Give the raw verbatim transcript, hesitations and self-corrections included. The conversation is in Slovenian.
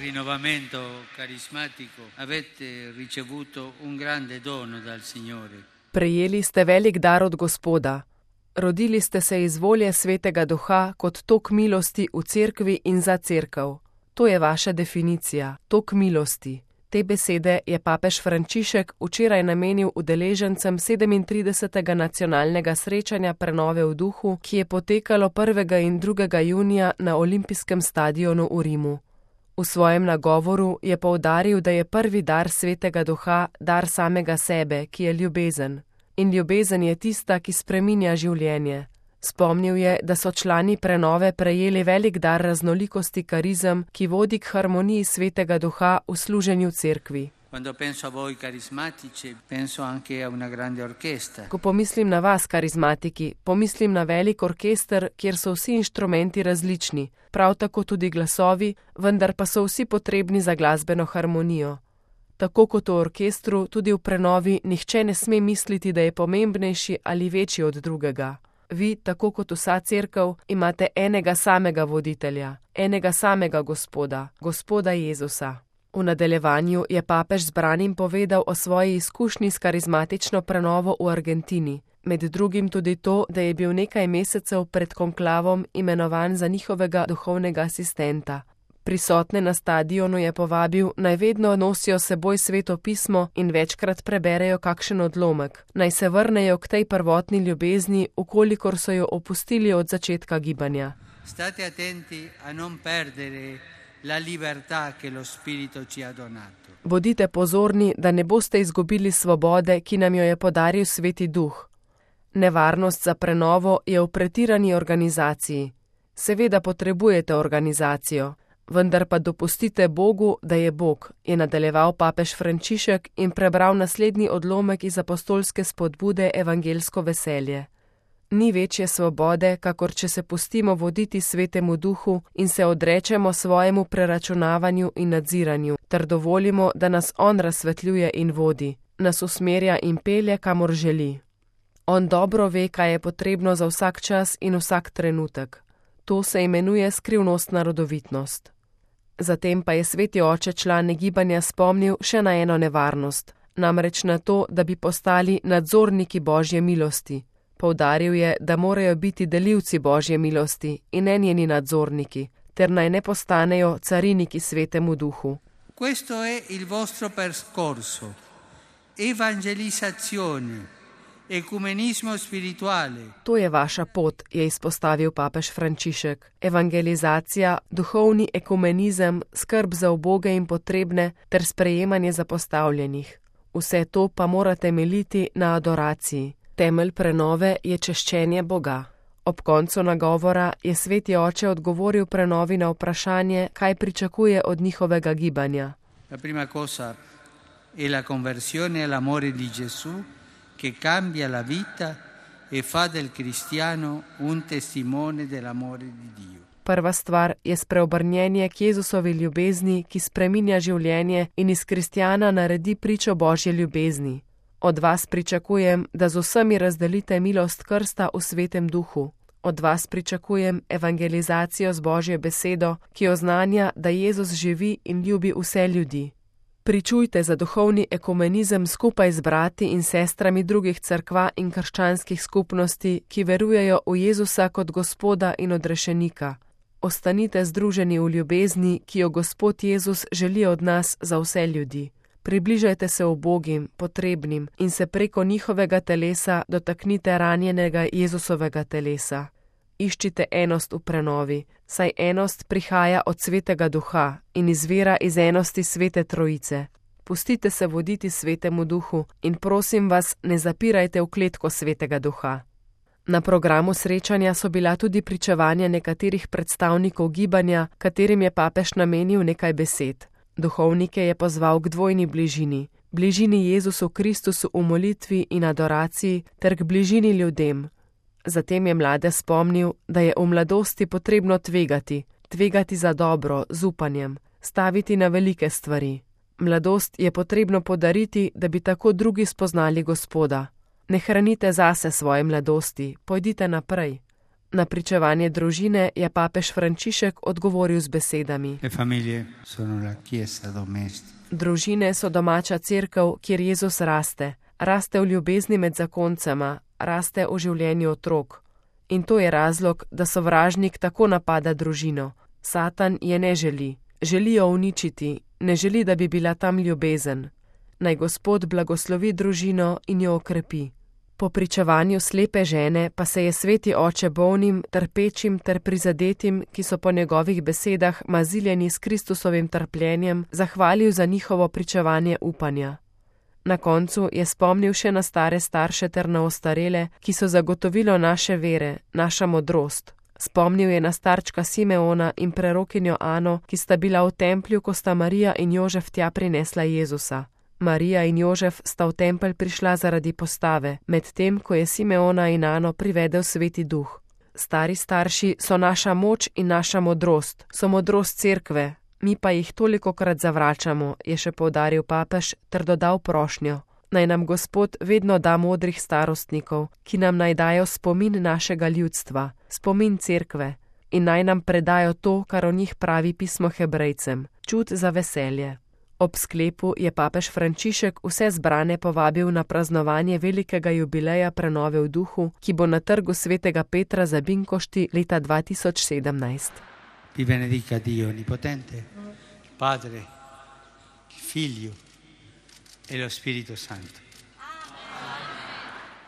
rinnovamento carismatico avete ricevuto un grande dono dal Signore. Prejeli ste velik dar od Gospoda. Rodili ste se iz volje Svetega Duha kot tok milosti v cerkvi in za cerkev. To je vaša definicija, tok milosti. Te besede je papež Frančišek včeraj namenil udeležencem sedemintridesetega nacionalnega srečanja prenove v duhu, ki je potekalo prvega in drugega junija na olimpijskem stadionu v Rimu. V svojem nagovoru je poudaril, da je prvi dar Svetega Duha dar samega sebe, ki je ljubezen. In ljubezen je tista, ki spreminja življenje. Spomnil je, da so člani prenove prejeli velik dar raznolikosti karizem, ki vodi k harmoniji Svetega Duha v služenju cerkvi. Ko pomislim na vas, karizmatiki, pomislim na velik orkester, kjer so vsi inštrumenti različni, prav tako tudi glasovi, vendar pa so vsi potrebni za glasbeno harmonijo. Tako kot v orkestru, tudi v prenovi nihče ne sme misliti, da je pomembnejši ali večji od drugega. Vi, tako kot vsa cerkev, imate enega samega voditelja, enega samega Gospoda, Gospoda Jezusa. V nadaljevanju je papež zbranim povedal o svoji izkušnji s karizmatično prenovo v Argentini, med drugim tudi to, da je bil nekaj mesecev pred konklavom imenovan za njihovega duhovnega asistenta. Prisotne na stadionu je povabil, naj vedno nosijo seboj Sveto pismo in večkrat preberejo kakšen odlomek, naj se vrnejo k tej prvotni ljubezni, ukolikor so jo opustili od začetka gibanja. State attenti a non perdere la libertà che lo Spirito ci ha donato. Bodite pozorni, da ne boste izgubili svobode, ki nam jo je podaril Sveti Duh. Nevarnost za prenovo je v pretirani organizaciji. Seveda potrebujete organizacijo, vendar pa dopustite Bogu, da je Bog, je nadaljeval papež Frančišek in prebral naslednji odlomek iz apostolske spodbude Evangelsko veselje. Ni večje svobode, kakor če se pustimo voditi Svetemu Duhu in se odrečemo svojemu preračunavanju in nadziranju, ter dovolimo, da nas On razsvetljuje in vodi, nas usmerja in pelje, kamor želi. On dobro ve, kaj je potrebno za vsak čas in vsak trenutek. To se imenuje skrivnostna rodovitnost. Zatem pa je Sveti Oče člane gibanja spomnil še na eno nevarnost, namreč na to, da bi postali nadzorniki Božje milosti. Poudaril je, da morajo biti delivci Božje milosti in ne njeni nadzorniki, ter naj ne postanejo cariniki Svetemu Duhu. Questo è il vostro percorso, evangelizzazione. Ekumenizmo spirituale. To je vaša pot, je izpostavil papež Frančišek. Evangelizacija, duhovni ekumenizem, skrb za uboge in potrebne ter sprejemanje zapostavljenih. Vse to pa mora temeljiti na adoraciji. Temelj prenove je češčenje Boga. Ob koncu nagovora je Sveti Oče odgovoril prenovi na vprašanje, kaj pričakuje od njihovega gibanja. La prima cosa è la conversione all'amore di Gesù, che cambia la vita e fa del cristiano un testimone dell'amore di Dio. Prva stvar je spreobrnjenje k Jezusovi ljubezni, ki spreminja življenje in iz kristjana naredi pričo Božje ljubezni. Od vas pričakujem, da z vsemi razdelite milost krsta v Svetem Duhu. Od vas pričakujem evangelizacijo z Božjo besedo, ki oznanja, da Jezus živi in ljubi vse ljudi. Pričujte za duhovni ekumenizem skupaj z brati in sestrami drugih cerkva in krščanskih skupnosti, ki verujejo v Jezusa kot Gospoda in odrešenika. Ostanite združeni v ljubezni, ki jo Gospod Jezus želi od nas za vse ljudi. Približajte se ubogim, potrebnim in se preko njihovega telesa dotaknite ranjenega Jezusovega telesa. Iščite enost v prenovi, saj enost prihaja od Svetega Duha in izvira iz enosti Svete Trojice. Pustite se voditi Svetemu Duhu in prosim vas, ne zapirajte v kletko Svetega Duha. Na programu srečanja so bila tudi pričevanja nekaterih predstavnikov gibanja, katerim je papež namenil nekaj besed. Duhovnike je pozval k dvojni bližini, bližini Jezusu Kristusu v molitvi in adoraciji ter k bližini ljudem. Zatem je mlade spomnil, da je v mladosti potrebno tvegati, tvegati za dobro, z upanjem, staviti na velike stvari. Mladost je potrebno podariti, da bi tako drugi spoznali Gospoda. Ne hranite zase svoje mladosti, pojdite naprej. Na pričevanje družine je papež Frančišek odgovoril z besedami: Le famiglie sono la chiesa domestica. Družine so domača cerkev, kjer Jezus raste. Raste v ljubezni med zakoncema, raste v življenju otrok. In to je razlog, da sovražnik tako napada družino. Satan je ne želi. Želi jo uničiti, ne želi, da bi bila tam ljubezen. Naj Gospod blagoslovi družino in jo okrepi. Po pričevanju slepe žene pa se je sveti oče bolnim, trpečim ter prizadetim, ki so po njegovih besedah maziljeni s Kristusovim trpljenjem, zahvalil za njihovo pričevanje upanja. Na koncu je spomnil še na stare starše ter na ostarele, ki so zagotovilo naše vere, naša modrost. Spomnil je na starčka Simeona in prerokinjo Ano, ki sta bila v templju, ko sta Marija in Jožef tja prinesla Jezusa. Marija in Jožef sta v tempelj prišla zaradi postave, medtem ko je Simeona in Ano privedel Sveti Duh. Stari starši so naša moč in naša modrost, so modrost cerkve, mi pa jih tolikokrat zavračamo, je še poudaril papež ter dodal prošnjo. Naj nam Gospod vedno da modrih starostnikov, ki nam naj dajo spomin našega ljudstva, spomin cerkve, in naj nam predajo to, kar o njih pravi pismo Hebrejcem, čut za veselje. Ob sklepu je papež Frančišek vse zbrane povabil na praznovanje velikega jubileja prenove v duhu, ki bo na trgu svetega Petra za Binkošti leta dva tisoč sedemnajst. Vi benedica Dio Onnipotente, Padre, Figlio e lo Spirito Santo.